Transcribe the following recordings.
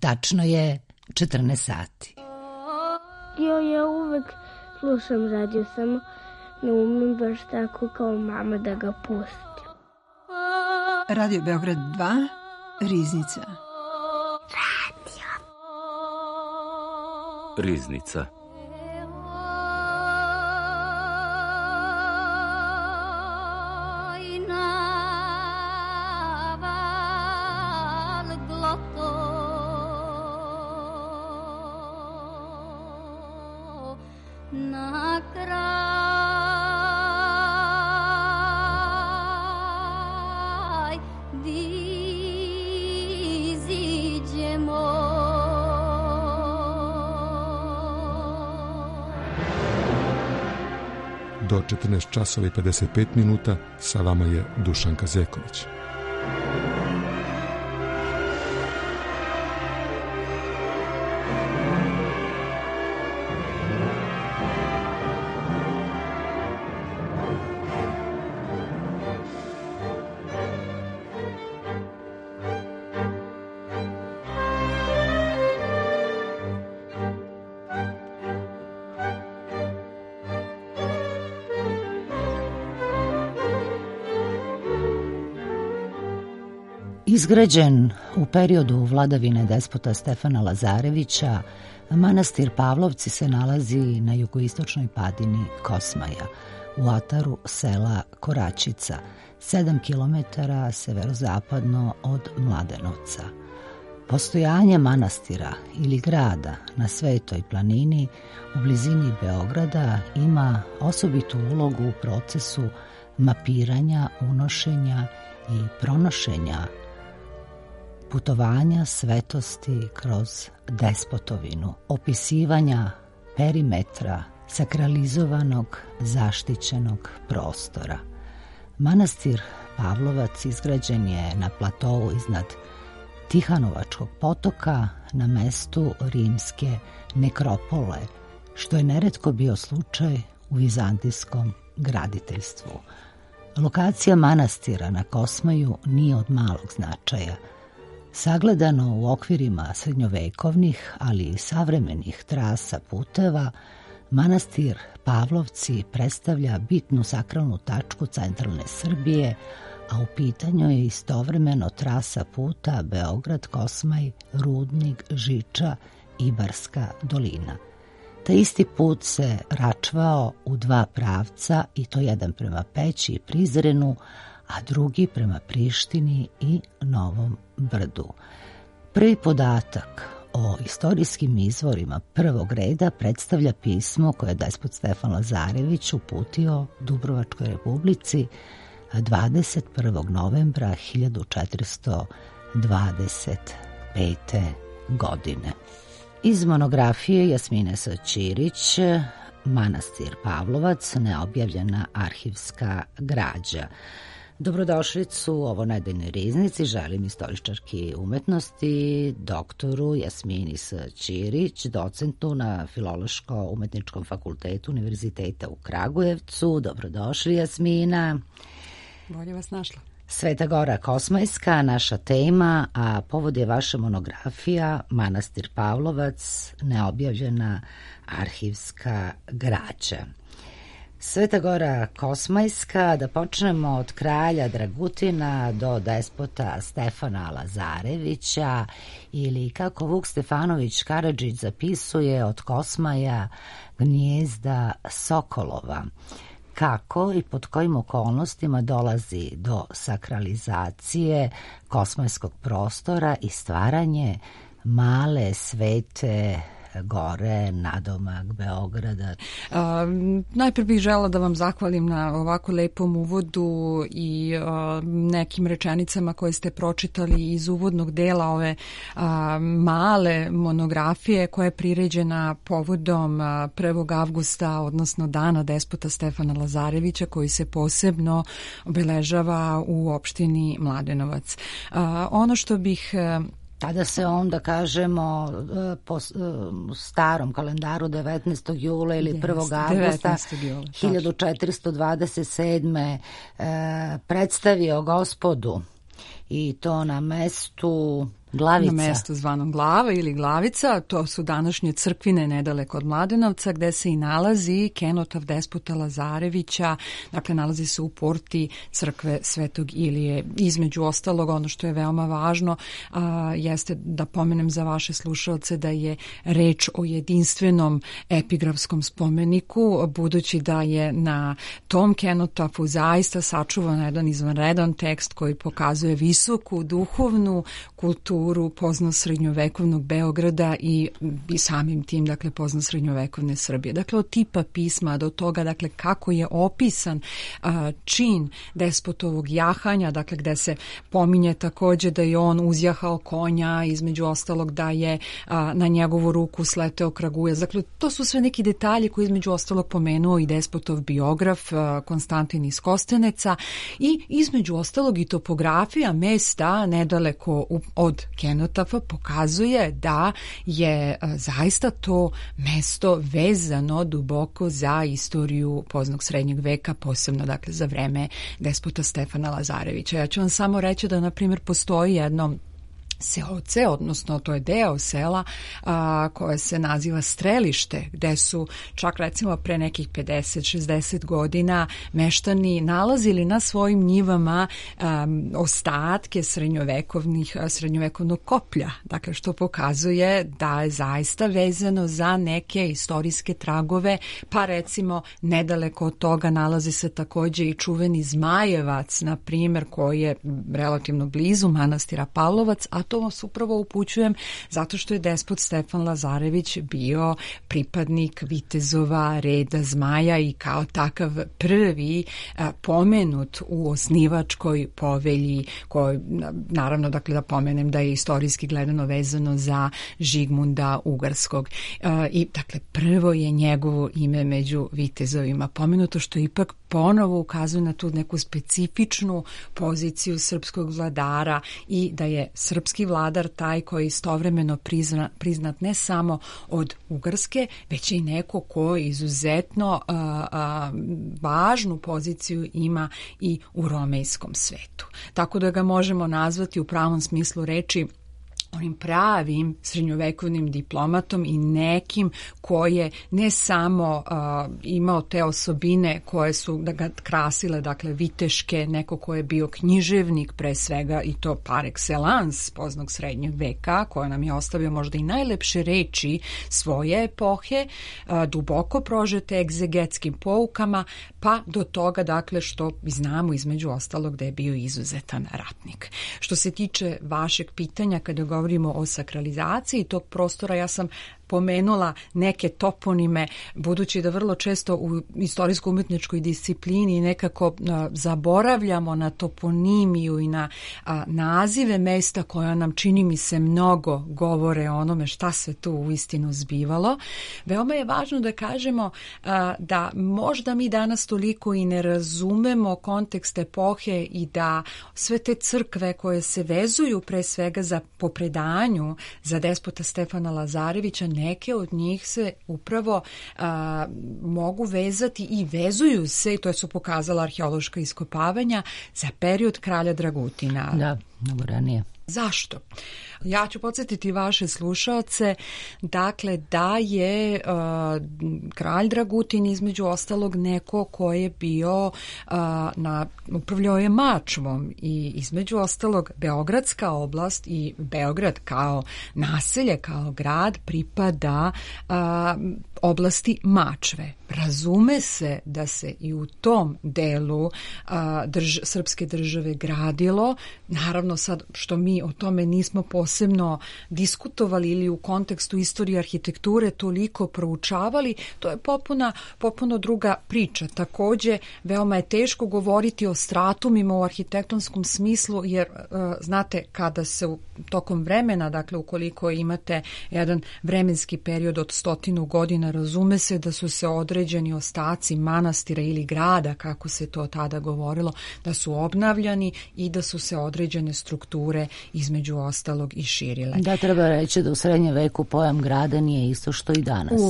Tačno je 14 sati. Ja uvek slušam radio, samo ne umem baš tako kao mama da ga pusti. Radio Beograd 2, Riznica. Riznica. Do 14 časova i 55 minuta sa vama je Dušanka Zeković. Izgrađen u periodu vladavine despota Stefana Lazarevića, manastir Pavlovci se nalazi na jugoistočnoj padini Kosmaja, u ataru sela Koračica, 7 km severozapadno od Mladenovca. Postojanje manastira ili grada na Svetoj planini u blizini Beograda ima osobitu ulogu u procesu mapiranja, unošenja i pronošenja putovanja svetosti kroz despotovinu, opisivanja perimetra sakralizovanog, zaštićenog prostora. Manastir Pavlovac izgrađen je na platovu iznad Tihanovačkog potoka na mestu rimske nekropole, što je neretko bio slučaj u vizantijskom graditeljstvu. Lokacija manastira na Kosmaju nije od malog značaja. Sagledano u okvirima srednjovekovnih, ali i savremenih trasa puteva, manastir Pavlovci predstavlja bitnu sakralnu tačku centralne Srbije, a u pitanju je istovremeno trasa puta Beograd-Kosmaj, Rudnik, Žiča, Ibarska dolina. Taj isti put se račvao u dva pravca, i to jedan prema Peći i Prizrenu, a drugi prema Prištini i Novom Brdu. Prvi podatak o istorijskim izvorima prvog reda predstavlja pismo koje je despot Stefan Lazarević uputio Dubrovačkoj republici 21. novembra 1425. godine. Iz monografije Jasmine S. Ćirić, Manastir Pavlovac, neobjavljena arhivska građa. Dobrodošlicu u ovo nedeljnoj riznici želim istoričarki umetnosti, doktoru Jasmini S. Ćirić, docentu na Filološko-umetničkom fakultetu Univerziteta u Kragujevcu. Dobrodošli, Jasmina. Bolje vas našla. Sveta Gora Kosmajska, naša tema, a povod je vaša monografija Manastir Pavlovac, neobjavljena arhivska građa. Sveta Gora Kosmajska, da počnemo od kralja Dragutina do despota Stefana Lazarevića, ili kako Vuk Stefanović Karadžić zapisuje, od Kosmaja gnijezda Sokolova. Kako i pod kojim okolnostima dolazi do sakralizacije kosmajskog prostora i stvaranje male svete gore, nadomak Beograda? Najprije bih žela da vam zahvalim na ovako lepom uvodu i nekim rečenicama koje ste pročitali iz uvodnog dela ove male monografije koja je priređena povodom 1. avgusta, odnosno dana despota Stefana Lazarevića, koji se posebno obeležava u opštini Mladenovac. Ono što bih... Tada se onda, kažemo, po starom kalendaru 19. jula ili 1. avgusta 1427. Predstavio Gospodu, i to na mestu Glavica. Na mestu zvanom Glava ili Glavica, to su današnje crkvine nedaleko od Mladenovca, gde se i nalazi kenotaf despota Lazarevića, dakle nalazi se u porti crkve Svetog Ilije. Između ostalog, ono što je veoma važno jeste da pomenem za vaše slušalce da je reč o jedinstvenom epigrafskom spomeniku, budući da je na tom kenotafu zaista sačuvan jedan izvanredan tekst koji pokazuje visoku duhovnu kulturu pozno-srednjovekovnog Beograda i samim tim, dakle, pozno-srednjovekovne Srbije. Dakle, od tipa pisma do toga, dakle, kako je opisan čin despotovog jahanja, dakle, gde se pominje takođe da je on uzjahao konja, između ostalog da je na njegovu ruku sleteo kragujevac. Dakle, to su sve neki detalji koji između ostalog pomenuo i despotov biograf Konstantin iz Kosteneca i između ostalog i topografija mesta nedaleko od kenotafa pokazuje da je zaista to mesto vezano duboko za istoriju poznog srednjeg veka, posebno dakle za vreme despota Stefana Lazarevića. Ja ću vam samo reći da na primjer postoji jedno seoce, odnosno to je deo sela koje se naziva Strelište, gde su čak recimo pre nekih 50-60 godina meštani nalazili na svojim njivama ostatke srednjovekovnog koplja. Dakle, što pokazuje da je zaista vezano za neke istorijske tragove, pa recimo nedaleko od toga nalazi se takođe i čuveni Zmajevac, na primjer, koji je relativno blizu manastira Pavlovac, a to vas upravo upućujem zato što je despot Stefan Lazarević bio pripadnik vitezova reda Zmaja i kao takav prvi pomenut u osnivačkoj povelji, koji naravno dakle da pomenem da je istorijski gledano vezano za Žigmunda Ugarskog. I dakle prvo je njegovo ime među vitezovima pomenuto, što ipak ponovo ukazuje na tu neku specifičnu poziciju srpskog vladara i da je srpski vladar taj koji je istovremeno priznat ne samo od Ugarske, već i neko ko izuzetno važnu poziciju ima i u romejskom svetu. Tako da ga možemo nazvati u pravom smislu reči onim pravim srednjovekovnim diplomatom i nekim koje ne samo imao te osobine koje su da ga krasile, dakle viteške, neko ko je bio književnik pre svega i to par excellence poznog srednjeg veka, koja nam je ostavio možda i najlepše reči svoje epohe, duboko prožete egzegetskim poukama, pa do toga dakle što znamo između ostalog da je bio izuzetan ratnik. Što se tiče vašeg pitanja kada govorimo o sakralizaciji tog prostora, ja sam pomenula neke toponime, budući da vrlo često u istorijsko-umjetničkoj disciplini nekako zaboravljamo na toponimiju i na nazive mesta koja nam, čini mi se, mnogo govore o onome šta se tu uistinu zbivalo. Veoma je važno da kažemo da možda mi danas toliko i ne razumemo kontekst epohe i da sve te crkve koje se vezuju pre svega po predanju za despota Stefana Lazarevića, neke od njih se upravo mogu vezati i vezuju se, i to su pokazala arheološka iskopavanja, za period kralja Dragutina. Da, mnogo ranije. Zašto? Ja ću podsjetiti vaše slušaoce, dakle, da je kralj Dragutin između ostalog neko ko je bio upravljao je Mačvom i između ostalog Beogradska oblast i Beograd kao naselje, kao grad pripada oblasti Mačve. Razume se da se i u tom delu srpske države gradilo. Naravno sad što mi o tome nismo posebno diskutovali ili u kontekstu istorije arhitekture toliko proučavali, to je potpuno druga priča. Takođe, veoma je teško govoriti o stratumima u arhitektonskom smislu, jer znate, kada se tokom vremena, dakle ukoliko imate jedan vremenski period od 100 godina obnovljena. Razume se da su se određeni ostaci manastira ili grada, kako se to tada govorilo, da su obnavljani i da su se određene strukture između ostalog i širile. Da, treba reći da u srednjem veku pojam grada nije isto što i danas.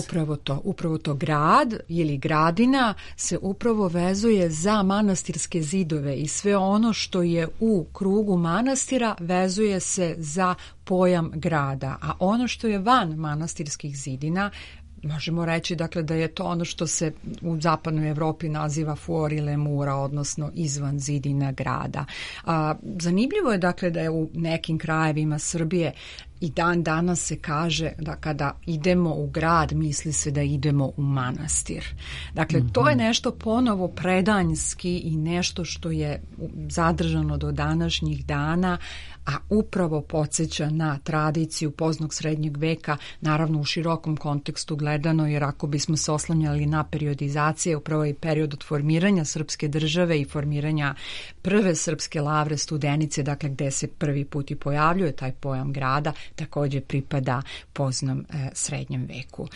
Upravo to. Grad ili gradina se upravo vezuje za manastirske zidove i sve ono što je u krugu manastira vezuje se za pojam grada, a ono što je van manastirskih zidina, možemo reći dakle da je to ono što se u zapadnoj Evropi naziva fuori le mura, odnosno izvan zidina grada. Zanimljivo je dakle da je u nekim krajevima Srbije i dan danas se kaže da kada idemo u grad misli se da idemo u manastir. Dakle, to je nešto ponovo predanjski i nešto što je zadržano do današnjih dana, a upravo podsjeća na tradiciju poznog srednjeg veka, naravno u širokom kontekstu gledano, jer ako bismo se oslanjali na periodizacije, upravo i period od formiranja srpske države i formiranja prve srpske lavre Studenice, dakle gde se prvi put i pojavljuje taj pojam grada, također pripada poznom srednjem veku.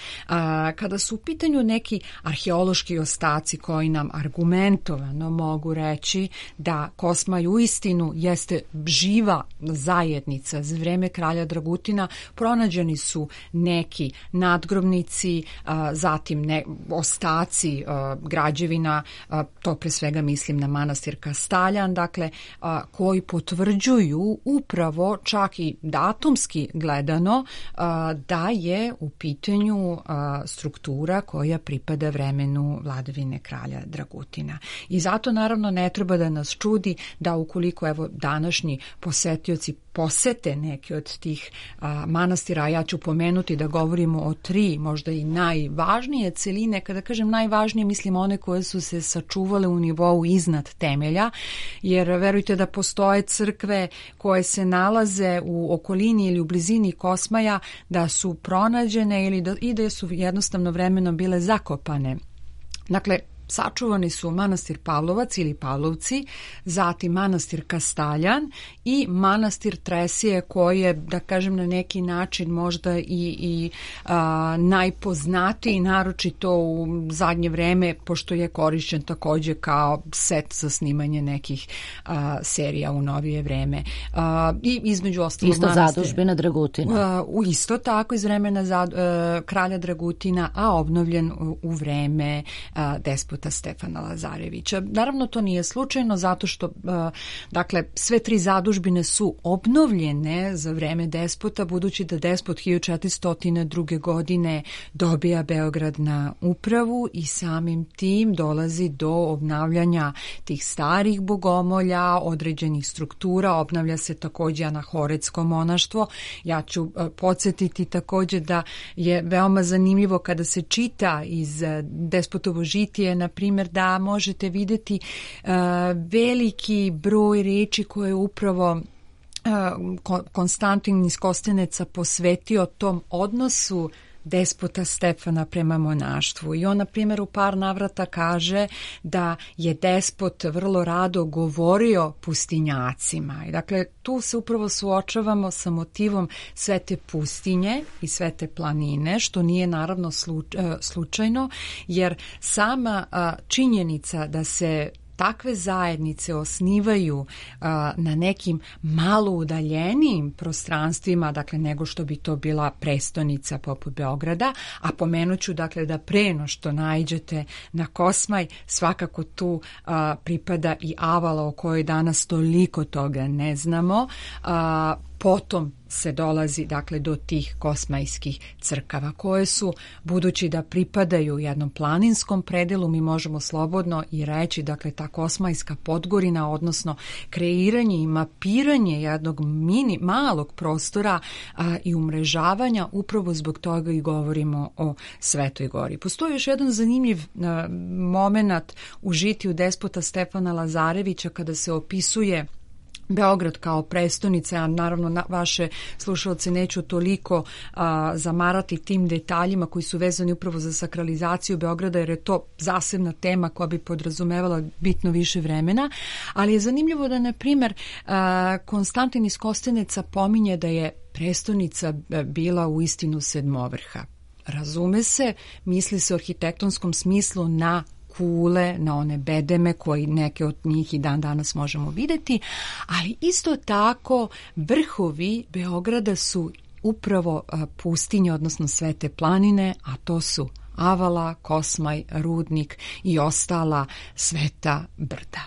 Kada su u pitanju neki arheološki ostaci koji nam argumentovano mogu reći da Kosmaj uistinu jeste živa zajednica za vreme kralja Dragutina, pronađeni su neki nadgrobnici, zatim ostaci građevina, to pre svega mislim na manastir Kastaljan, dakle, koji potvrđuju upravo čak i datumski gledano da je u pitanju struktura koja pripada vremenu vladavine kralja Dragutina. I zato naravno ne treba da nas čudi da ukoliko evo današnji posetioci posete neke od tih manastira, a ja ću pomenuti da govorimo o 3 možda i najvažnije celine. Kada kažem najvažnije, mislim one koje su se sačuvale u nivou iznad temelja, jer verujte da postoje crkve koje se nalaze u okolini ili u blizini Kosmaja, da su pronađene ili da su jednostavno vremenom bile zakopane. Dakle, sačuvani su manastir Pavlovac ili Pavlovci, zatim manastir Kastaljan i manastir Tresije, koji je, da kažem, na neki način možda i najpoznatiji, naročito u zadnje vreme, pošto je korišćen također kao set za snimanje nekih serija u novije vreme. I između ostalog isto zadužbina Dragutina. Isto tako iz vremena kralja Dragutina, a obnovljen u vreme despota Stefana Lazarevića. Naravno, to nije slučajno zato što dakle, sve 3 zadužbine su obnovljene za vreme despota, budući da despot 1402. godine dobija Beograd na upravu i samim tim dolazi do obnavljanja tih starih bogomolja, određenih struktura, obnavlja se također anahoretsko monaštvo. Ja ću podsjetiti također da je veoma zanimljivo kada se čita iz Despotovo žitije, na primjer, da možete vidjeti veliki broj riječi koje je upravo Konstantin iz Kosteneca posvetio tom odnosu despota Stefana prema monaštvu. I on, na primjer, u par navrata kaže da je despot vrlo rado govorio pustinjacima. I dakle, tu se upravo suočavamo sa motivom sve te pustinje i sve te planine, što nije naravno slučajno, jer sama činjenica da se takve zajednice osnivaju na nekim malo udaljenijim prostranstvima, dakle, nego što bi to bila prestonica poput Beograda, a pomenut ću, dakle, da pre no što naiđete na Kosmaj, svakako tu pripada i Avala, o kojoj danas toliko toga ne znamo. Potom se dolazi, dakle, do tih kosmajskih crkava koje su, budući da pripadaju jednom planinskom predelu, mi možemo slobodno i reći, dakle, ta Kosmajska Podgorina, odnosno kreiranje i mapiranje jednog malog prostora i umrežavanja, upravo zbog toga i govorimo o Svetoj Gori. Postoji još jedan zanimljiv moment u žitiju despota Stefana Lazarevića kada se opisuje Beograd kao prestonica, a naravno vaše slušalce neću toliko zamarati tim detaljima koji su vezani upravo za sakralizaciju Beograda, jer je to zasebna tema koja bi podrazumevala bitno više vremena, ali je zanimljivo da, na primjer, Konstantin iz Kosteneca pominje da je prestonica bila u istinu sedmovrha. razume se, misli se u arhitektonskom smislu na kule, na one bedeme koji neke od njih i dan danas možemo vidjeti, ali isto tako vrhovi Beograda su upravo pustinje, odnosno Svete planine, a to su Avala, Kosmaj, Rudnik i ostala sveta brda.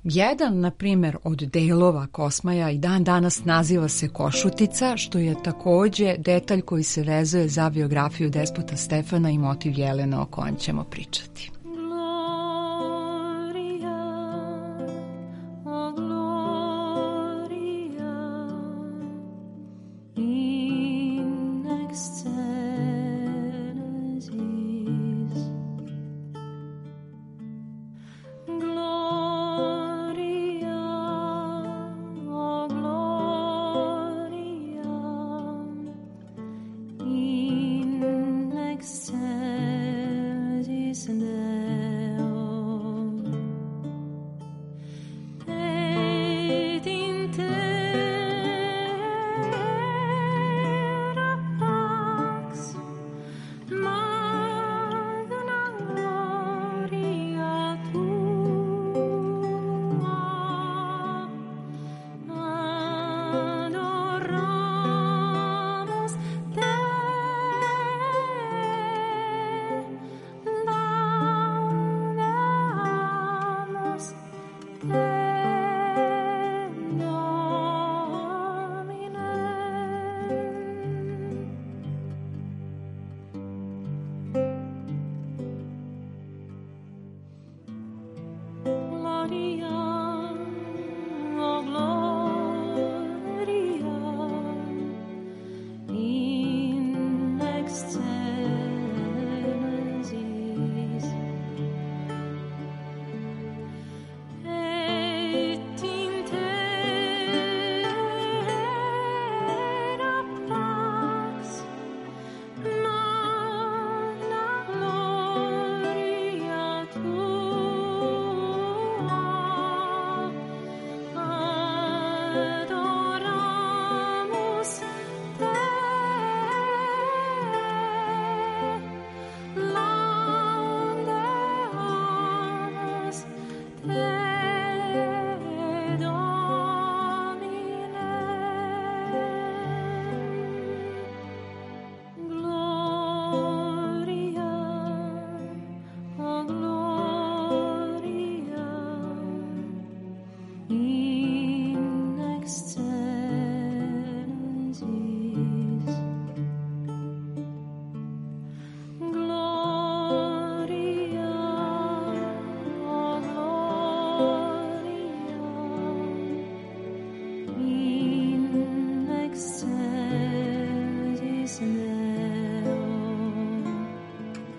Jedan, na primjer, od delova Kosmaja i dan danas naziva se Košutica, što je također detalj koji se vezuje za biografiju despota Stefana i motiv Jelena o kojem ćemo pričati.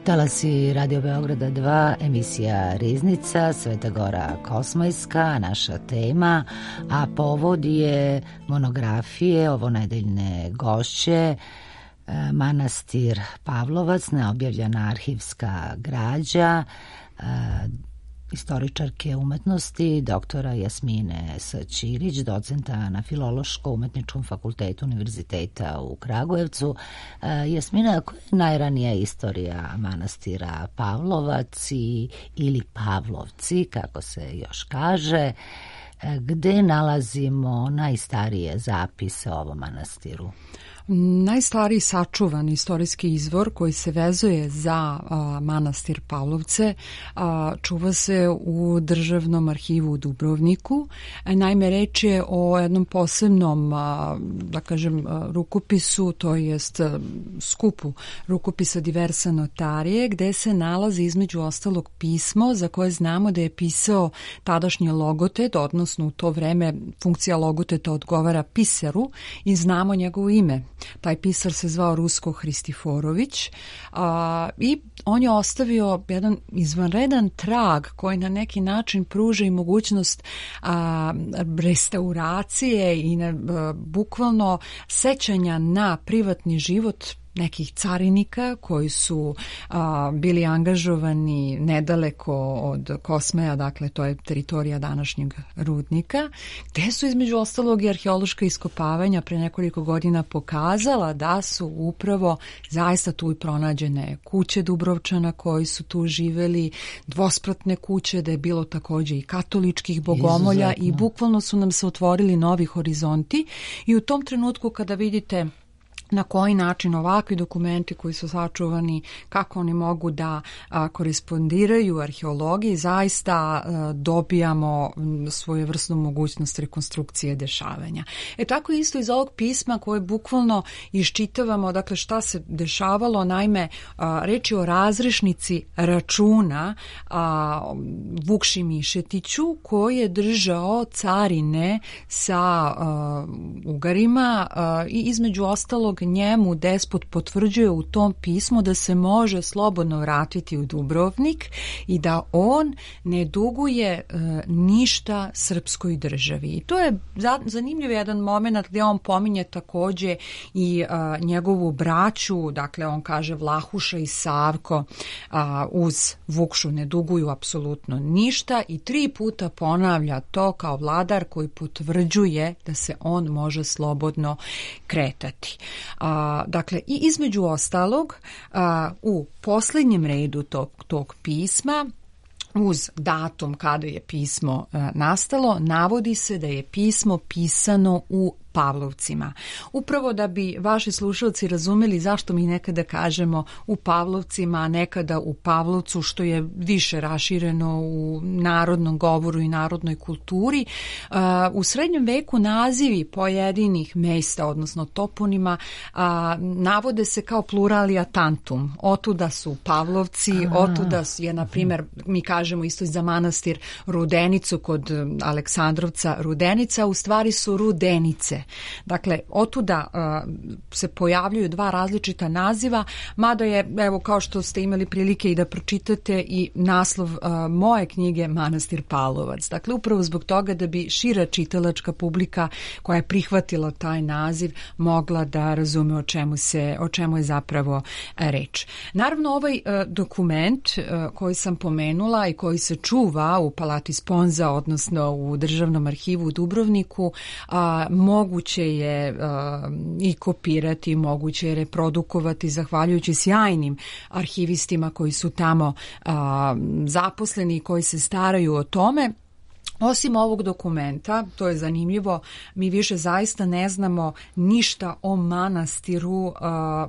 Talasi Radio Beograda 2, emisija Riznica, Sveta Gora Kosmajska, naša tema, a povod je monografije ovonedeljne gošće, manastir Pavlovac, neobjavljena arhivska građa, istoričarke umetnosti, doktora Jasmine S. Ćirić, docenta na Filološko-umetničkom fakultetu Univerziteta u Kragujevcu. Jasmina, koja je najranija istorija manastira Pavlovac ili Pavlovci, kako se još kaže, gde nalazimo najstarije zapise o ovom manastiru? Najstariji sačuvan istorijski izvor koji se vezuje za manastir Pavlovce čuva se u Državnom arhivu u Dubrovniku. Naime, reč je o jednom posebnom, da kažem, rukopisu, to jest skupu rukopisa diversa notarije, gde se nalazi između ostalog pismo za koje znamo da je pisao tadašnji logotet, odnosno u to vreme funkcija logoteta odgovara pisaru i znamo njegovo ime. Taj pisar se zvao Rusko Hristiforović i on je ostavio jedan izvanredan trag koji na neki način pruža i mogućnost restauracije i bukvalno sećanja na privatni život nekih carinika koji su bili angažovani nedaleko od Kosmeja, dakle to je teritorija današnjeg rudnika, gde su između ostalog i arheološka iskopavanja pre nekoliko godina pokazala da su upravo zaista tu i pronađene kuće Dubrovčana koji su tu živeli, dvospratne kuće, da je bilo takođe i katoličkih bogomolja. Izuzetno. I bukvalno su nam se otvorili novi horizonti i u tom trenutku kada vidite na koji način ovakvi dokumenti koji su sačuvani, kako oni mogu da korespondiraju arheologiji, zaista dobijamo svojevrsnu mogućnost rekonstrukcije dešavanja. Tako isto iz ovog pisma koje bukvalno iščitavamo, dakle šta se dešavalo, naime reč je o razrešnici računa Vukši Mišetiću koji je držao carine sa Ugarima i između ostalog njemu despot potvrđuje u tom pismu da se može slobodno vratiti u Dubrovnik i da on ne duguje ništa srpskoj državi. I to je zanimljiv jedan moment gdje on pominje takođe i njegovu braću, dakle on kaže Vlahuša i Savko uz Vukšu ne duguju apsolutno ništa i 3 puta ponavlja to kao vladar koji potvrđuje da se on može slobodno kretati. Dakle, i između ostalog, u posljednjem redu tog pisma, uz datum kada je pismo nastalo, navodi se da je pismo pisano u Pavlovcima. Upravo da bi vaši slušalci razumeli zašto mi nekada kažemo u Pavlovcima, a nekada u Pavlovcu, što je više rašireno u narodnom govoru i narodnoj kulturi. U srednjem veku nazivi pojedinih mesta, odnosno toponima, navode se kao pluralija tantum. Otuda su Pavlovci, otuda je, na primjer, mi kažemo isto za manastir Rudenicu kod Aleksandrovca Rudenica, u stvari su Rudenice. Dakle, otuda se pojavljuju 2 različita naziva, mada je, evo, kao što ste imali prilike i da pročitate i naslov moje knjige Manastir Pavlovac. Dakle, upravo zbog toga da bi šira čitalačka publika koja je prihvatila taj naziv mogla da razume o čemu je zapravo reč. Naravno, ovaj dokument koji sam pomenula i koji se čuva u Palati Sponza, odnosno u Državnom arhivu u Dubrovniku, moguće je i kopirati, moguće je reprodukovati zahvaljujući sjajnim arhivistima koji su tamo zaposleni i koji se staraju o tome. Osim ovog dokumenta, to je zanimljivo, mi više zaista ne znamo ništa o manastiru,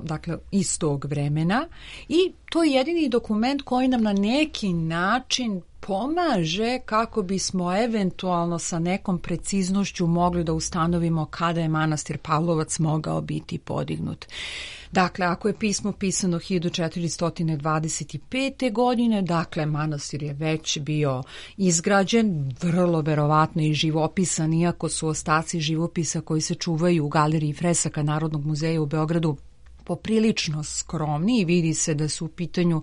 dakle, iz tog vremena, i to je jedini dokument koji nam na neki način pomaže kako bismo eventualno sa nekom preciznošću mogli da ustanovimo kada je manastir Pavlovac mogao biti podignut. Dakle, ako je pismo pisano 1425. godine, dakle, manastir je već bio izgrađen, vrlo verovatno i živopisan, iako su ostaci živopisa koji se čuvaju u galeriji fresaka Narodnog muzeja u Beogradu poprilično skromni i vidi se da su u pitanju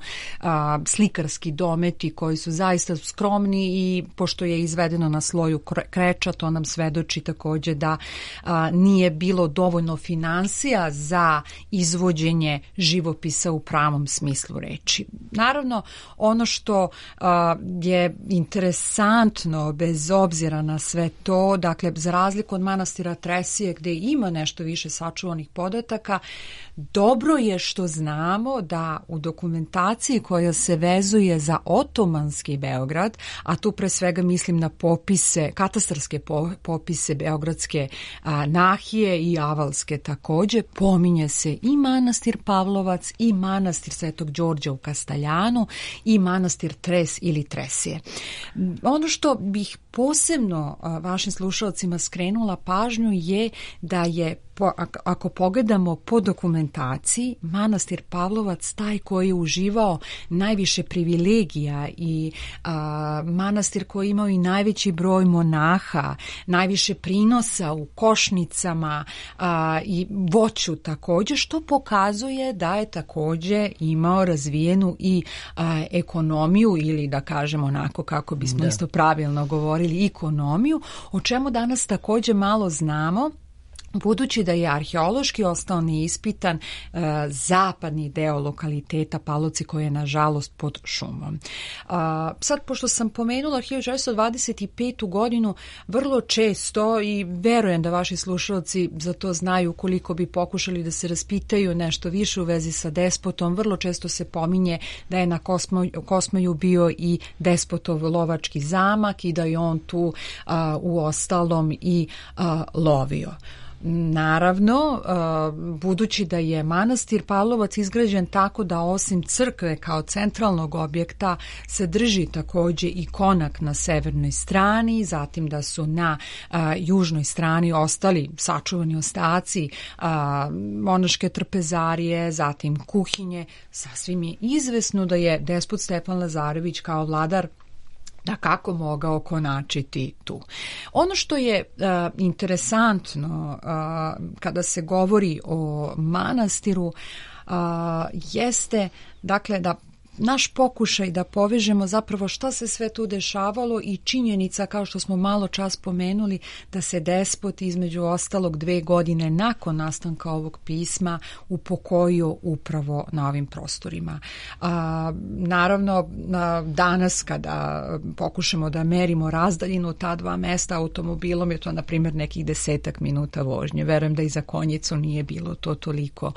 slikarski dometi koji su zaista skromni i pošto je izvedeno na sloju kreča, to nam svedoči takođe da nije bilo dovoljno finansija za izvođenje živopisa u pravom smislu reči. Naravno, ono što je interesantno bez obzira na sve to, dakle, za razliku od manastira Tresije gde ima nešto više sačuvanih podataka, dobro je što znamo da u dokumentaciji koja se vezuje za otomanski Beograd, a tu pre svega mislim na popise, katastarske popise Beogradske nahije i Avalske takođe, pominje se i manastir Pavlovac i manastir Svetog Đorđa u Kastaljanu i manastir Tres ili Tresije. Ono što bih posebno vašim slušalcima skrenula pažnju je da je, ako pogledamo po dokumentaciji, manastir Pavlovac taj koji je uživao najviše privilegija i manastir koji je imao i najveći broj monaha, najviše prinosa u košnicama i voću takođe, što pokazuje da je takođe imao razvijenu i ekonomiju, ili da kažemo onako kako bismo isto pravilno govorili, ekonomiju, o čemu danas takođe malo znamo. budući da je arheološki ostao neispitan zapadni deo lokaliteta Palovci koji je nažalost pod šumom. Sad, pošto sam pomenula 1925. godinu, vrlo često, i verujem da vaši slušalci za to znaju, koliko bi pokušali da se raspitaju nešto više u vezi sa despotom, vrlo često se pominje da je na Kosmaju bio i despotov lovački zamak i da je on tu u ostalom i lovio. Naravno, budući da je manastir Pavlovac izgrađen tako da osim crkve kao centralnog objekta se drži takođe i konak na severnoj strani, zatim da su na južnoj strani ostali sačuvani ostaci monaške trpezarije, zatim kuhinje, sasvim je izvesno da je despot Stefan Lazarević kao vladar da kako mogao konačiti tu. Ono što je interesantno kada se govori o manastiru jeste dakle da naš pokušaj da povežemo zapravo šta se sve tu dešavalo i činjenica, kao što smo malo čas pomenuli, da se despot između ostalog 2 godine nakon nastanka ovog pisma upokojio upravo na ovim prostorima. Naravno, danas kada pokušamo da merimo razdaljinu ta dva mesta automobilom, je to na primjer nekih 10 minuta vožnje. Verujem da i za konjicu nije bilo to toliko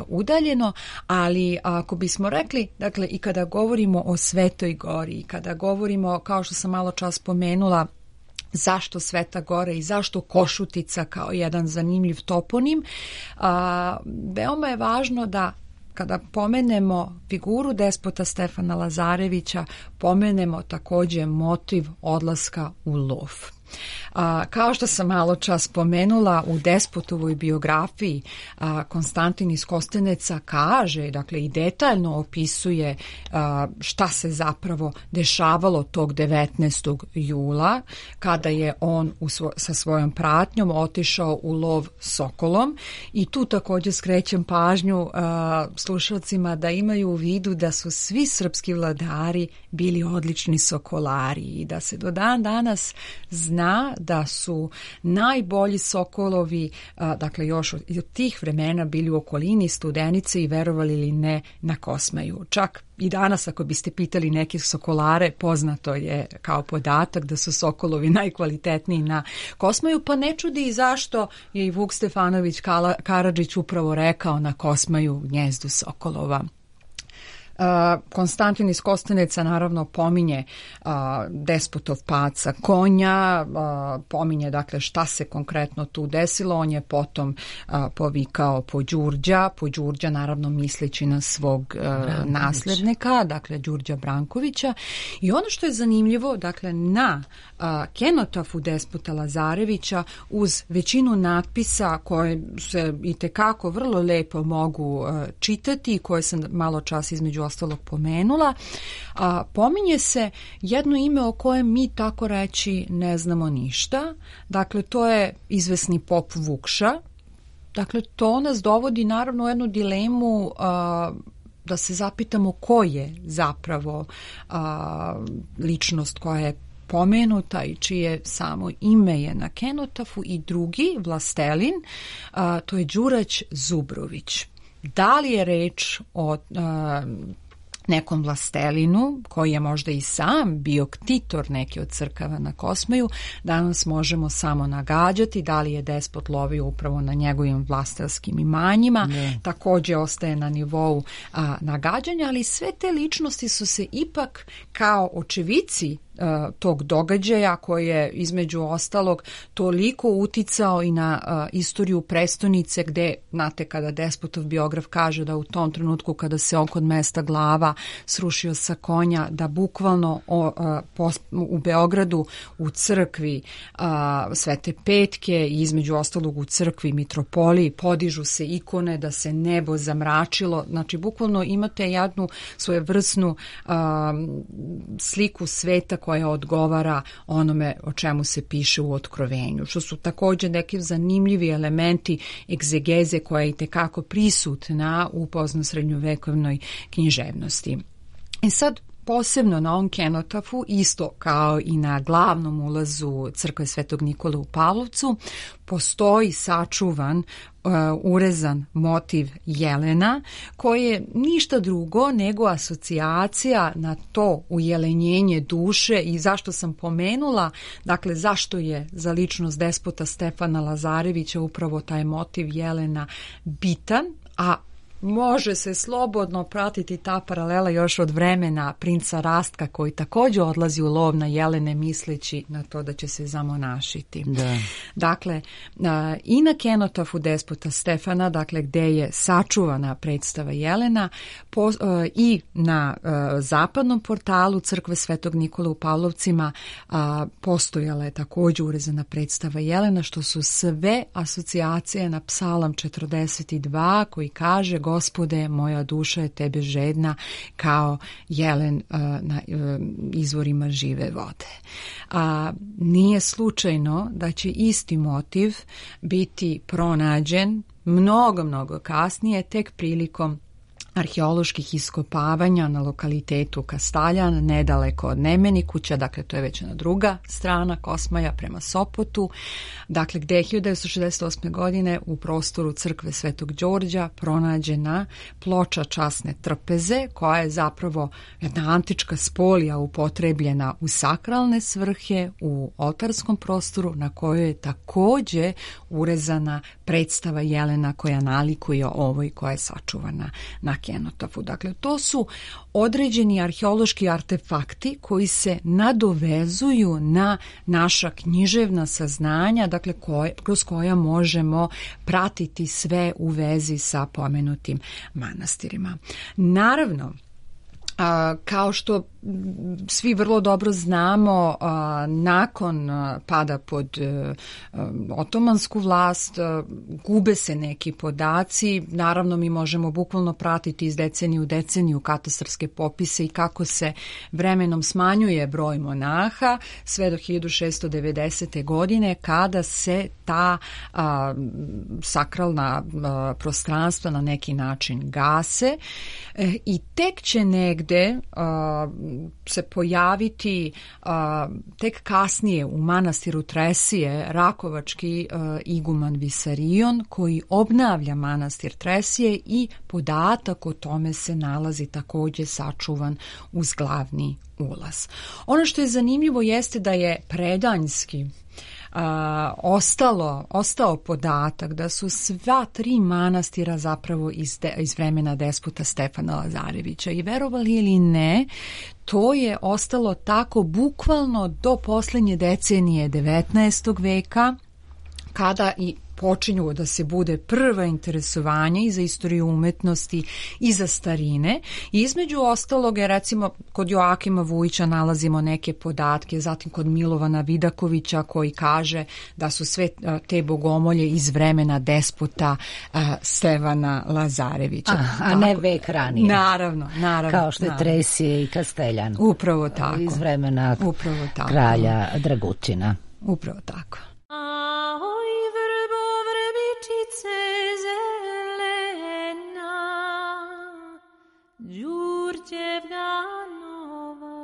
udaljeno, ali ako bismo rekli, dakle, i kada govorimo o Svetoj gori i kada govorimo, kao što sam malo čas spomenula, zašto Sveta Gora i zašto Košutica kao jedan zanimljiv toponim, veoma je važno da kada pomenemo figuru despota Stefana Lazarevića, pomenemo takođe motiv odlaska u lov. Kao što sam malo čas spomenula, u despotovoj biografiji Konstantin iz Kosteneca kaže, dakle i detaljno opisuje šta se zapravo dešavalo tog 19. jula kada je on sa svojom pratnjom otišao u lov sokolom, i tu također skrećem pažnju slušalcima da imaju u vidu da su svi srpski vladari bili odlični sokolari i da se do dan danas zna da su najbolji sokolovi, dakle još od tih vremena, bili u okolini Studenice i, verovali ili ne, na Kosmaju. Čak i danas ako biste pitali nekih sokolare, poznato je kao podatak da su sokolovi najkvalitetniji na Kosmaju, pa ne čudi i zašto je i Vuk Stefanović Karadžić upravo rekao na Kosmaju gnjezdu sokolova. Konstantin iz Kosteneca naravno pominje despotov pad sa konja, pominje dakle šta se konkretno tu desilo. On je potom povikao po Đurđa, naravno misleći na svog naslednika, dakle Đurđa Brankovića. I ono što je zanimljivo, dakle na kenotafu despota Lazarevića uz većinu natpisa koje se itekako vrlo lepo mogu čitati i koje sam malo čas između ostalog pomenula, pominje se jedno ime o kojem mi tako reći ne znamo ništa. Dakle, to je izvesni pop Vukša. Dakle, to nas dovodi naravno u jednu dilemu da se zapitamo ko je zapravo ličnost koja je pomenuta i čije samo ime je na kenotafu, i drugi vlastelin, to je Đurać Zubrović. Da li je reč o nekom vlastelinu koji je možda i sam bio ktitor neke od crkava na Kosmaju, danas možemo samo nagađati. Da li je despot lovio upravo na njegovim vlastelskim imanjima, također ostaje na nivou nagađanja, ali sve te ličnosti su se ipak kao očevici tog događaja koji je između ostalog toliko uticao i na istoriju prestonice, gde, znate, kada despotov biograf kaže da u tom trenutku kada se on kod mesta Glava srušio sa konja, da bukvalno u Beogradu u crkvi Svete Petke i između ostalog u crkvi Mitropoliji podižu se ikone, da se nebo zamračilo. Znači, bukvalno imate jednu svojevrsnu sliku sveta koja odgovara onome o čemu se piše u Otkrovenju, što su također neki zanimljivi elementi egzegeze koja je itekako prisutna u poznosrednjovekovnoj književnosti. I sad, posebno na ovom kenotafu, isto kao i na glavnom ulazu crkve Svetog Nikole u Pavlovcu, postoji sačuvan urezan motiv jelena, koji je ništa drugo nego asocijacija na to ujelenjenje duše. I zašto sam pomenula, dakle zašto je za ličnost despota Stefana Lazarevića upravo taj motiv jelena bitan, a može se slobodno pratiti ta paralela još od vremena princa Rastka, koji također odlazi u lov na jelene misleći na to da će se zamonašiti. Da. Dakle, i na kenotafu despota Stefana, dakle gde je sačuvana predstava jelena, i na zapadnom portalu crkve Svetog Nikole u Pavlovcima postojala je također urezana predstava jelena, što su sve asocijacije na Psalam 42 koji kaže: Gospode, moja duša je tebe žedna kao jelen na izvorima žive vode. Nije slučajno da će isti motiv biti pronađen mnogo kasnije, tek prilikom arheoloških iskopavanja na lokalitetu Kastaljan, nedaleko od Nemenikuća, dakle to je već na druga strana Kosmaja prema Sopotu, dakle gde je 1968. godine u prostoru crkve Svetog Đorđa pronađena ploča časne trpeze, koja je zapravo jedna antička spolija upotrebljena u sakralne svrhe u oltarskom prostoru, na kojoj je također urezana predstava jelena koja nalikuje ovoj koja je sačuvana na kenotafu. Dakle, to su određeni arheološki artefakti koji se nadovezuju na naša književna saznanja, dakle kroz koja možemo pratiti sve u vezi sa pomenutim manastirima. Naravno, kao što svi vrlo dobro znamo, nakon pada pod otomansku vlast gube se neki podaci. Naravno, mi možemo bukvalno pratiti iz deceniju u deceniju katastarske popise i kako se vremenom smanjuje broj monaha sve do 1690. godine, kada se ta sakralna prostranstva na neki način gase i tek će negde se pojaviti tek kasnije u manastiru Tresije rakovački iguman Visarion, koji obnavlja manastir Tresije i podatak o tome se nalazi također sačuvan uz glavni ulaz. Ono što je zanimljivo jeste da je predanjski ostao podatak da su sva tri manastira zapravo iz vremena despota Stefana Lazarevića, i verovali ili ne, to je ostalo tako bukvalno do posljednje decenije 19. veka, kada i počinju da se bude prva interesovanje i za istoriju umetnosti i za starine. I između ostalog, recimo kod Joakima Vujića nalazimo neke podatke, zatim kod Milovana Vidakovića koji kaže da su sve te bogomolje iz vremena despota Stefana Lazarevića. A ne vek ranije. Naravno. Kao što je Tresije i Kasteljan. Upravo tako. Iz vremena kralja Dragutina. Upravo tako. Đurđevna nova,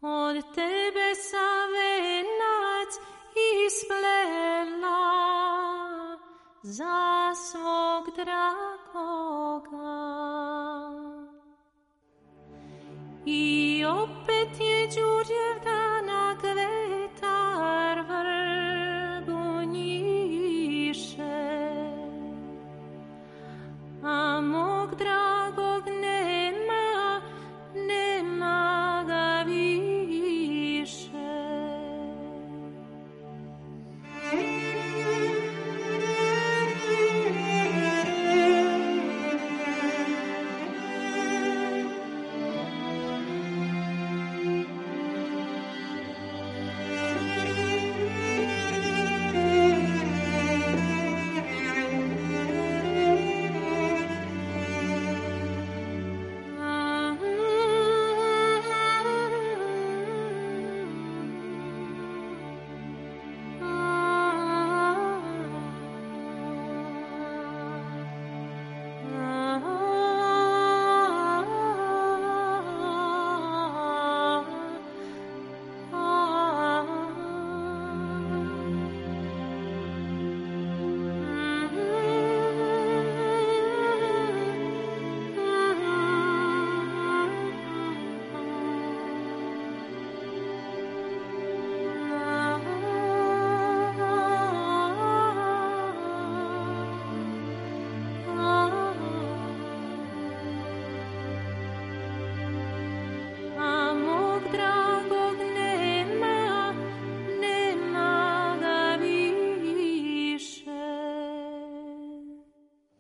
od tebe sam venac isplela za svog dragoga. I opet je Đurđevdana kvetar vrbu njiše, a mog dragog nema ga više.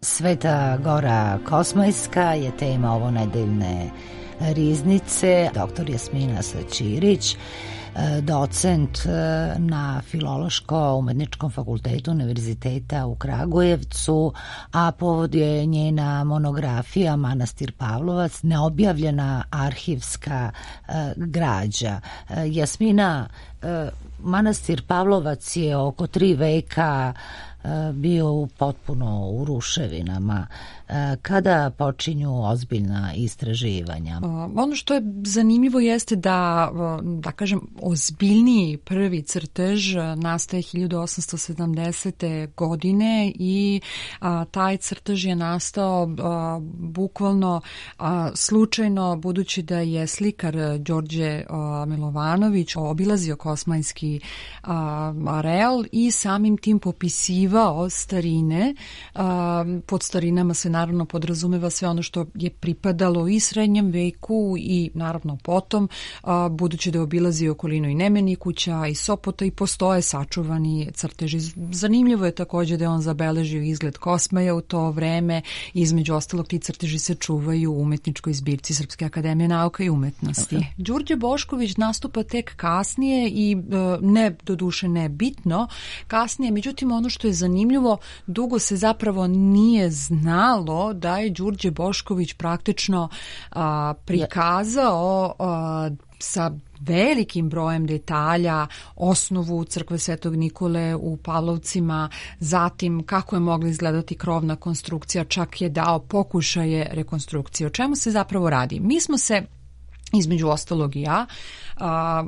Sveta Gora Kosmajska je tema ovonedeljne riznice. Dr. Jasmina Saćirić, docent na Filološko-umetničkom fakultetu Univerziteta u Kragujevcu, a povod je njena monografija Manastir Pavlovac, neobjavljena arhivska građa. Jasmina, Manastir Pavlovac je oko 3 veka bio potpuno u ruševinama. Kada počinju ozbiljna istraživanja? Ono što je zanimljivo jeste da kažem, ozbiljniji prvi crtež nastaje 1870. godine i taj crtež je nastao bukvalno slučajno, budući da je slikar Đorđe Milovanović obilazio Kosmajski areal i samim tim popisivao starine. Pod starinama se naravno podrazumeva sve ono što je pripadalo i srednjem veku i naravno potom, budući da je obilazio okolinu i Nemenih kuća i Sopota i postoje sačuvani crteži. Zanimljivo je također da je on zabeležio izgled Kosmaja u to vreme. Između ostalog, ti crteži se čuvaju u umetničkoj zbirci Srpske akademije nauka i umetnosti. Đurđe Bošković nastupa tek kasnije i doduše ne bitno kasnije, međutim ono što je zanimljivo, dugo se zapravo nije znalo da je Đurđe Bošković praktično prikazao sa velikim brojem detalja osnovu crkve Svetog Nikole u Pavlovcima, zatim kako je mogla izgledati krovna konstrukcija, čak je dao pokušaje rekonstrukcije. O čemu se zapravo radi? Mi smo se, između ostalog i ja,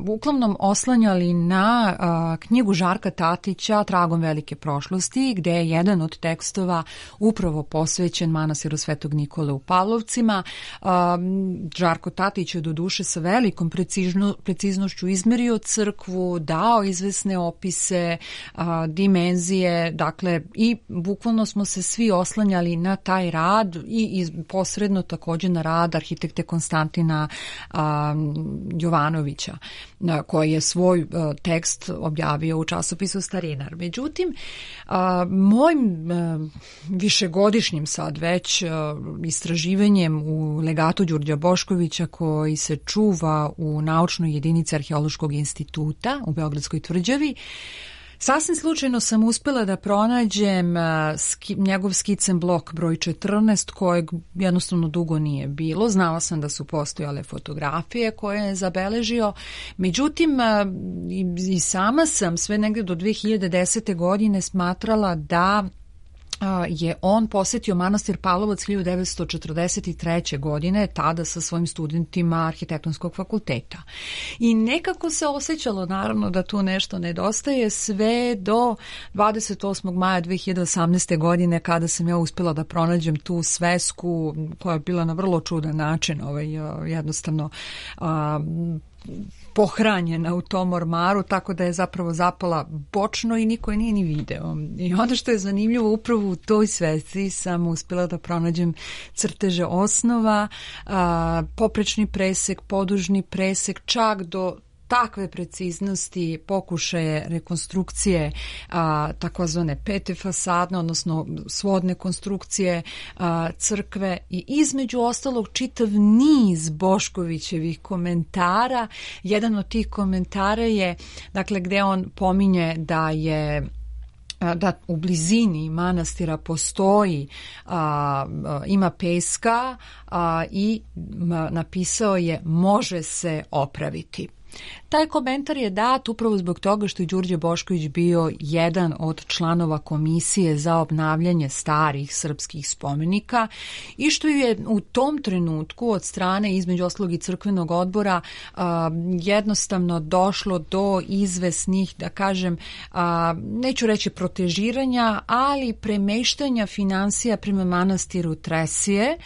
uglavnom oslanjali na knjigu Žarka Tatića Tragom velike prošlosti, gde je jedan od tekstova upravo posvećen manastiru Svetog Nikole u Pavlovcima. Žarko Tatić je doduše sa velikom preciznošću izmerio crkvu, dao izvesne opise, dimenzije, dakle, i bukvalno smo se svi oslanjali na taj rad i posredno također na rad arhitekte Konstantina Jovanovića, koji je svoj tekst objavio u časopisu Starinar. Međutim, mojim višegodišnjim sad već istraživanjem u legatu Đurđa Boškovića, koji se čuva u naučnoj jedinici Arheološkog instituta u Beogradskoj tvrđavi, sasvim slučajno sam uspjela da pronađem njegov skicen blok broj 14, kojeg jednostavno dugo nije bilo. Znala sam da su postojale fotografije koje je zabeležio. Međutim, i sama sam sve negdje do 2010. godine smatrala da je on posjetio manastir Pavlovac 1943. godine, tada sa svojim studentima Arhitektonskog fakulteta. I nekako se osjećalo naravno da tu nešto nedostaje sve do 28. maja 2018. godine, kada sam ja uspjela da pronađem tu svesku koja je bila na vrlo čudan način jednostavno pohranjena u tom ormaru, tako da je zapravo zapala bočno i niko je nije ni video. I ono što je zanimljivo, upravo u toj svesci sam uspjela da pronađem crteže osnova, poprečni presek, podužni presek, čak do takve preciznosti pokušaje rekonstrukcije takozvane pete fasadne, odnosno svodne konstrukcije crkve i između ostalog čitav niz Boškovićevih komentara. Jedan od tih komentara je, dakle, gde on pominje da je da u blizini manastira postoji, ima peska i napisao je može se opraviti. Taj komentar je dat upravo zbog toga što je Đurđe Bošković bio jedan od članova komisije za obnavljanje starih srpskih spomenika i što je u tom trenutku od strane između ostalog i crkvenog odbora jednostavno došlo do izvesnih, da kažem, neću reći protežiranja, ali premeštanja finansija prema manastiru Tresije,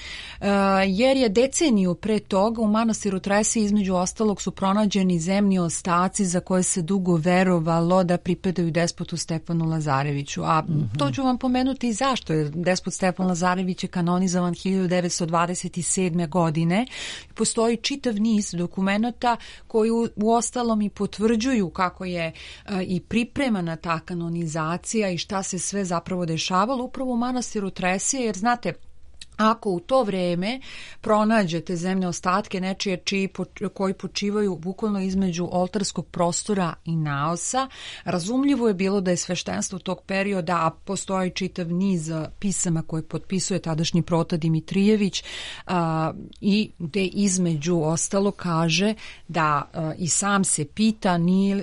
jer je deceniju pre toga u manastiru Tresije između ostalog su pronađeni čuveni zemni ostaci za koje se dugo verovalo da pripadaju despotu Stefanu Lazareviću. A to ću vam pomenuti i zašto. Jer despot Stefan Lazarević je kanonizovan 1927. godine. Postoji čitav niz dokumenata koji uostalom i potvrđuju kako je i pripremana ta kanonizacija i šta se sve zapravo dešavalo upravo u manastiru Tresije, jer znate, ako u to vreme pronađete zemne ostatke nečije koji počivaju bukvalno između oltarskog prostora i naosa, razumljivo je bilo da je sveštenstvo tog perioda, a postoji čitav niz pisama koje potpisuje tadašnji prota Dimitrijević i gde između ostalo kaže da i sam se pita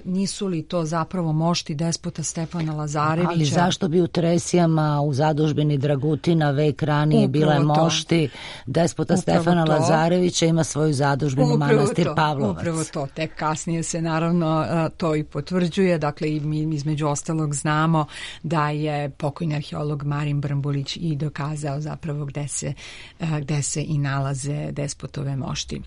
nisu li to zapravo mošti despota Stefana Lazarevića. Ali zašto bi u Tresijama u zadužbini Dragutina vek ranije bila mošti despota Stefana Lazarevića, ima svoju zadužbinu manastir Pavlovac. Upravo to, tek kasnije se naravno to i potvrđuje, dakle i mi između ostalog znamo da je pokojni arheolog Marin Brnbulić i dokazao zapravo gde se i nalaze despotove mošti.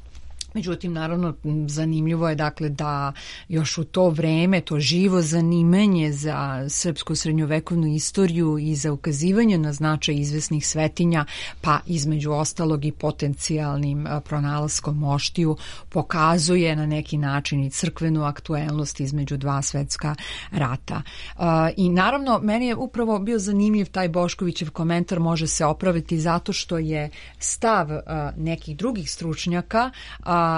Međutim, naravno, zanimljivo je dakle da još u to vreme to živo zanimanje za srpsku srednjovekovnu istoriju i za ukazivanje na značaj izvesnih svetinja, pa između ostalog i potencijalnim pronalaskom moštiju, pokazuje na neki način i crkvenu aktuelnost između dva svetska rata. I naravno, meni je upravo bio zanimljiv taj Boškovićev komentar, može se opraviti zato što je stav nekih drugih stručnjaka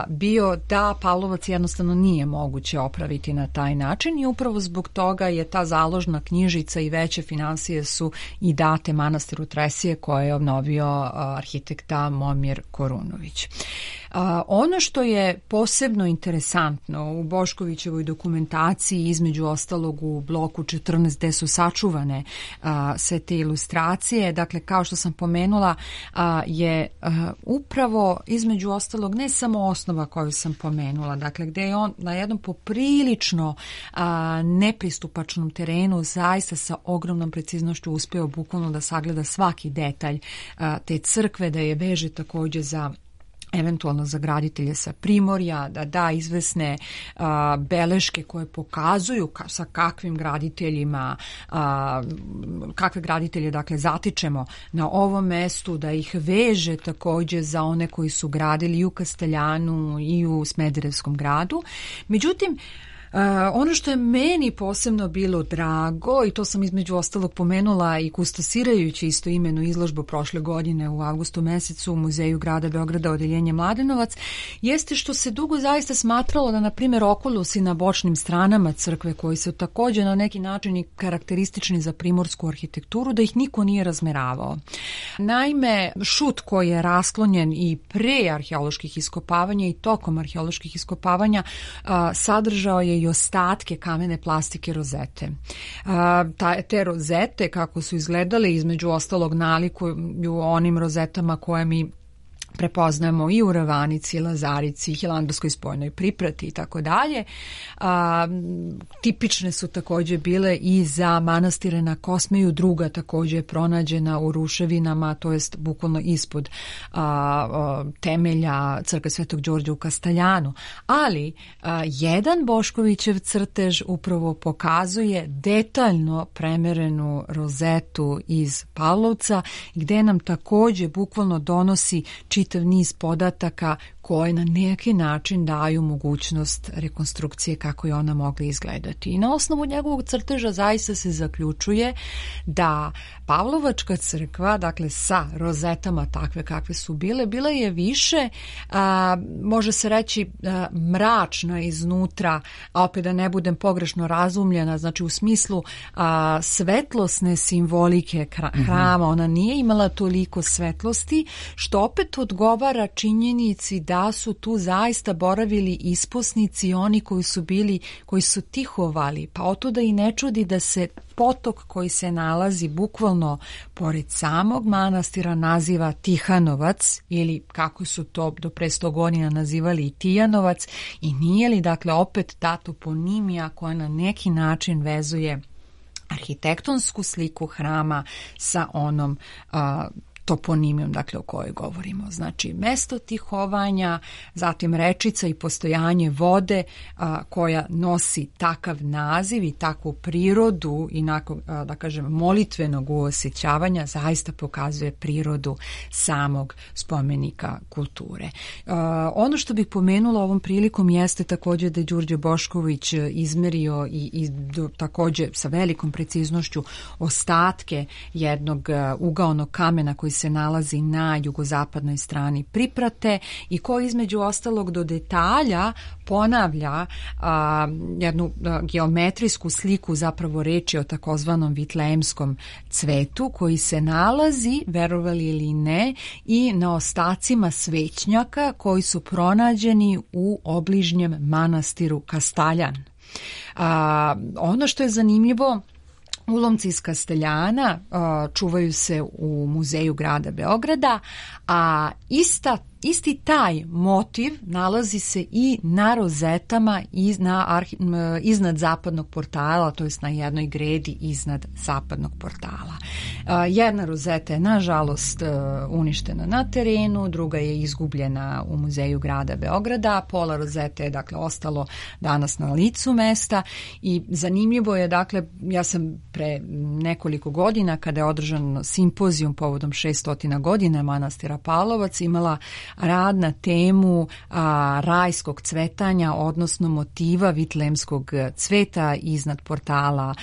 bio da Pavlovac jednostavno nije moguće opraviti na taj način i upravo zbog toga je ta založna knjižica i veće finansije su i date manastiru Tresije koje je obnovio arhitekta Momir Korunović. Ono što je posebno interesantno u Boškovićevoj dokumentaciji, između ostalog u bloku 14 gde su sačuvane sve te ilustracije, dakle kao što sam pomenula je upravo između ostalog ne samo osnova koju sam pomenula, dakle gde je on na jednom poprilično nepristupačnom terenu zaista sa ogromnom preciznošću uspeo bukvalno da sagleda svaki detalj te crkve, da je veže takođe za eventualno za graditelje sa primorja, da da izvesne beleške koje pokazuju sa kakvim graditeljima, kakve graditelje dakle zatičemo na ovom mestu, da ih veže takođe za one koji su gradili i u Kasteljanu i u Smederevskom gradu. Međutim, ono što je meni posebno bilo drago, i to sam između ostalog pomenula i kustosirajući isto imenu izložbu prošle godine u avgustu mesecu u Muzeju grada Beograda odeljenje Mladenovac, jeste što se dugo zaista smatralo da, na primjer, okulusi na bočnim stranama crkve, koji su također na neki način i karakteristični za primorsku arhitekturu, da ih niko nije razmeravao. Naime, šut koji je rasklonjen i pre arheoloških iskopavanja i tokom arheoloških iskopavanja sadržao je i ostatke kamene plastike rozete. Te rozete, kako su izgledale, između ostalog nalikuju onim rozetama koje mi prepoznajemo i u Ravanici, Lazarici, Hilandarskoj spojnoj priprati i tako dalje. Tipične su također bile i za manastire na Kosmeju, druga također je pronađena u ruševinama, to jest bukvalno ispod temelja crkve Svetog Đorđa u Kasteljanu. Ali jedan Boškovićev crtež upravo pokazuje detaljno premerenu rozetu iz Pavlovca, gde nam također bukvalno donosi čitav niz podataka koje na neki način daju mogućnost rekonstrukcije kako je ona mogla izgledati. I na osnovu njegovog crteža zaista se zaključuje da Pavlovačka crkva, dakle sa rozetama takve kakve su bile, bila je više, može se reći, mračna iznutra, a opet da ne budem pogrešno razumljena, znači u smislu svetlosne simbolike hrama, ona nije imala toliko svetlosti, što opet odgovara činjenici da su tu zaista boravili isposnici, oni koji su tihovali, pa otuda i ne čudi da se potok koji se nalazi bukvalno pored samog manastira naziva Tihanovac, ili kako su to do pre 100 godina nazivali i Tijanovac, i nije li dakle opet ta toponimija koja na neki način vezuje arhitektonsku sliku hrama sa onom toponimijom, dakle o kojoj govorimo. Znači mesto tihovanja, zatim rečica i postojanje vode koja nosi takav naziv i takvu prirodu i nakon, da kažem, molitvenog uosjećavanja zaista pokazuje prirodu samog spomenika kulture. Ono što bih pomenula ovom prilikom jeste također da je Đurđe Bošković izmerio i također sa velikom preciznošću ostatke jednog ugaonog kamena koji se nalazi na jugozapadnoj strani Priprate i koji između ostalog do detalja ponavlja jednu geometrijsku sliku, zapravo reči o takozvanom vitlejemskom cvetu koji se nalazi, verovali ili ne, i na ostacima svećnjaka koji su pronađeni u obližnjem manastiru Kastaljan. Ono što je zanimljivo, ulomci iz Kasteljana čuvaju se u muzeju grada Beograda, a isti taj motiv nalazi se i na rozetama iznad zapadnog portala, to jest na jednoj gredi iznad zapadnog portala. Jedna rozeta je nažalost uništena na terenu, druga je izgubljena u muzeju grada Beograda, pola rozete je dakle ostalo danas na licu mesta i zanimljivo je, dakle, ja sam pre nekoliko godina kada je održan simpozijum povodom 600 godina manastira Pavlovac imala rad na temu rajskog cvetanja, odnosno motiva vitlejemskog cveta iznad portala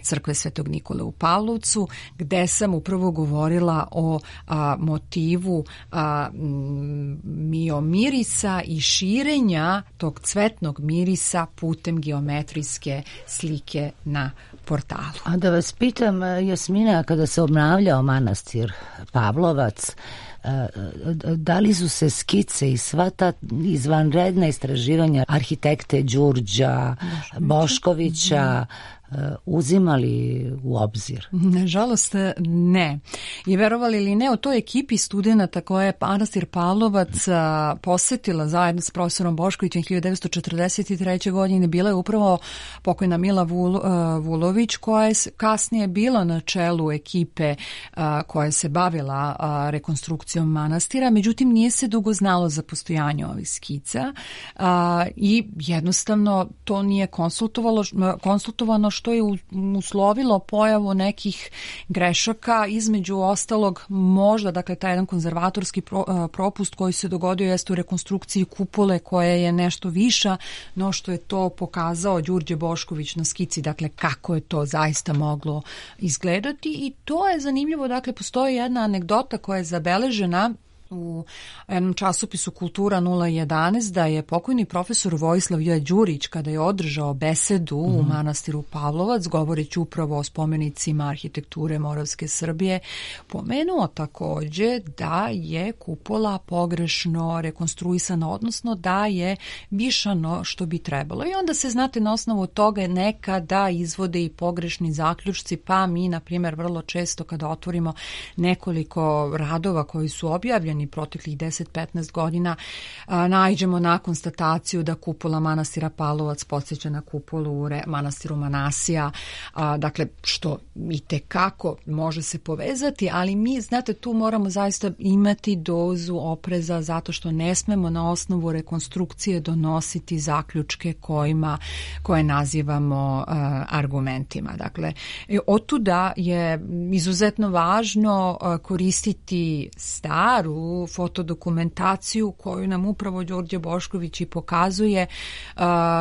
crkve Svetog Nikole u Pavlovcu, gde sam upravo govorila o motivu miomirisa i širenja tog cvetnog mirisa putem geometrijske slike na portalu. A da vas pitam, Jasmina, kada se obnavljao manastir Pavlovac, da li su se skice i sva ta izvanredna istraživanja arhitekte Đurđa Boškovića uzimali u obzir? Nažalost ne. I verovali ili ne, u toj ekipi studenata koje je manastir Pavlovac posetila zajedno s profesorom Boškovićem 1943. godine bila je upravo pokojna Mila Vulović, koja je kasnije bila na čelu ekipe koja se bavila rekonstrukcijom manastira, međutim nije se dugo znalo za postojanje ovih skica i jednostavno to nije konsultovano, što je uslovilo pojavu nekih grešaka, između ostalog možda, dakle, taj jedan konzervatorski propust koji se dogodio jeste u rekonstrukciji kupole koja je nešto viša no što je to pokazao Đurđe Bošković na skici, dakle kako je to zaista moglo izgledati. I to je zanimljivo, dakle postoji jedna anegdota koja je zabeležena u jednom časopisu Kultura 011 da je pokojni profesor Vojislav J. Đurić, kada je održao besedu u manastiru Pavlovac, govoreći upravo o spomenicima arhitekture Moravske Srbije, pomenuo također da je kupola pogrešno rekonstruisana, odnosno da je višano što bi trebalo. I onda se, znate, na osnovu toga nekada izvode i pogrešni zaključci, pa mi, na primjer, vrlo često kada otvorimo nekoliko radova koji su objavljeni proteklih 10-15 godina, naiđemo na konstataciju da kupola manastira Pavlovac podsjeća na kupolu u manastiru Manasija, dakle što itekako može se povezati, ali mi, znate, tu moramo zaista imati dozu opreza zato što ne smemo na osnovu rekonstrukcije donositi zaključke koje nazivamo argumentima. Dakle, otuda je izuzetno važno koristiti staru fotodokumentaciju koju nam upravo Đurđe Bošković i pokazuje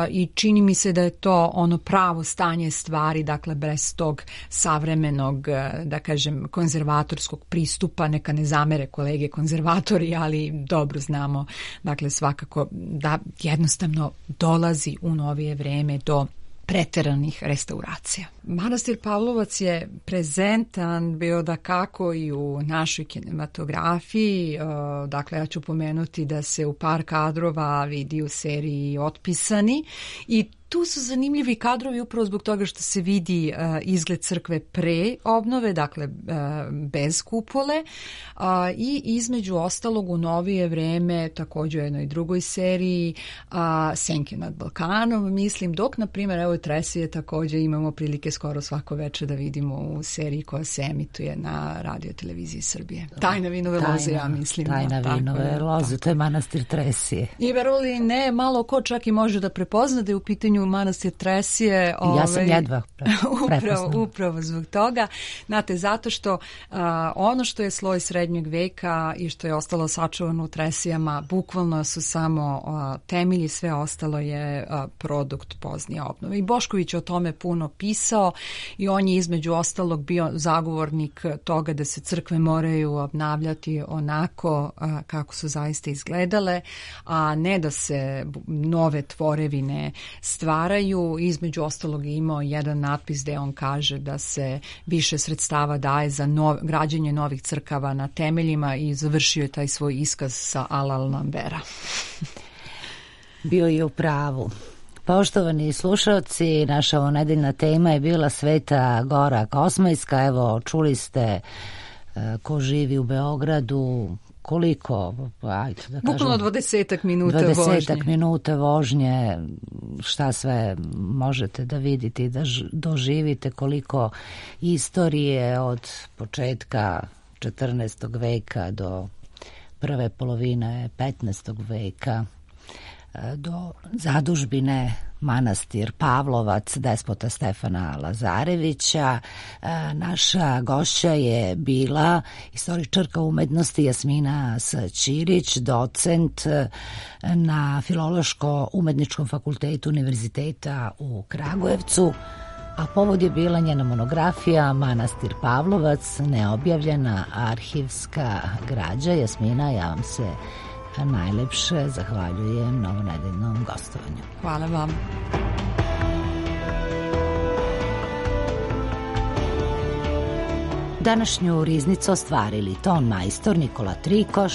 i čini mi se da je to ono pravo stanje stvari, dakle bez tog savremenog, da kažem, konzervatorskog pristupa. Neka ne zamere kolege konzervatori, ali dobro znamo, dakle svakako da jednostavno dolazi u novije vreme do preteranih restauracija. Manastir Pavlovac je prezentan bio da kako i u našoj kinematografiji, dakle ja ću pomenuti da se u par kadrova vidi u seriji Otpisani i tu su zanimljivi kadrovi upravo zbog toga što se vidi izgled crkve pre obnove, dakle bez kupole, i između ostalog u novije vreme također u jednoj drugoj seriji Senke nad Balkanom, mislim, dok na primjer evo Tresije također imamo prilike skoro svako veče da vidimo u seriji koja se emituje na Radio televiziji Srbije. Tajna vinove loze, ja mislim. Tajna vinove loze, to je manastir Tresije. I verovali ne, malo ko čak i može da prepozna da je u pitanju manastir Tresije. Ja sam jedva prepoznala. Upravo zbog toga. Znate, zato što ono što je sloj srednjeg veka i što je ostalo sačuvano u Tresijama, bukvalno su samo temelji, sve ostalo je produkt poznije obnove. I Bošković je o tome puno pisao i on je između ostalog bio zagovornik toga da se crkve moraju obnavljati onako kako su zaista izgledale, a ne da se nove tvorevine stvaraju. Između ostalog je imao jedan natpis gde on kaže da se više sredstava daje za građenje novih crkava na temeljima i završio je taj svoj iskaz sa Alal Lambera. Bio je u pravu. Poštovani slušalci, naša ovonedeljna tema je bila Sveta Gora Kosmajska. Evo, čuli ste ko živi u Beogradu, koliko, ajde da kažem, bukvalno 20 minuta vožnje. 20 minuta vožnje, šta sve možete da vidite i da doživite, koliko istorije od početka 14. veka do prve polovine 15. veka, do zadužbine manastir Pavlovac despota Stefana Lazarevića. Naša gošća je bila istoričarka umetnosti Jasmina Ćirić, docent na Filološko-umetničkom fakultetu Univerziteta u Kragujevcu, a povod je bila njena monografija Manastir Pavlovac, neobjavljena arhivska građa. Jasmina, ja vam se najlepše zahvaljujem na ovonedeljnom gostovanju. Hvala vam. Današnju riznicu ostvarili ton majstor Nikola Trikoš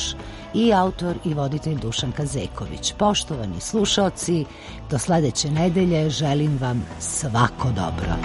i autor i voditelj Dušan Kazeković. Poštovani slušaoci, do sledeće nedelje želim vam svako dobro.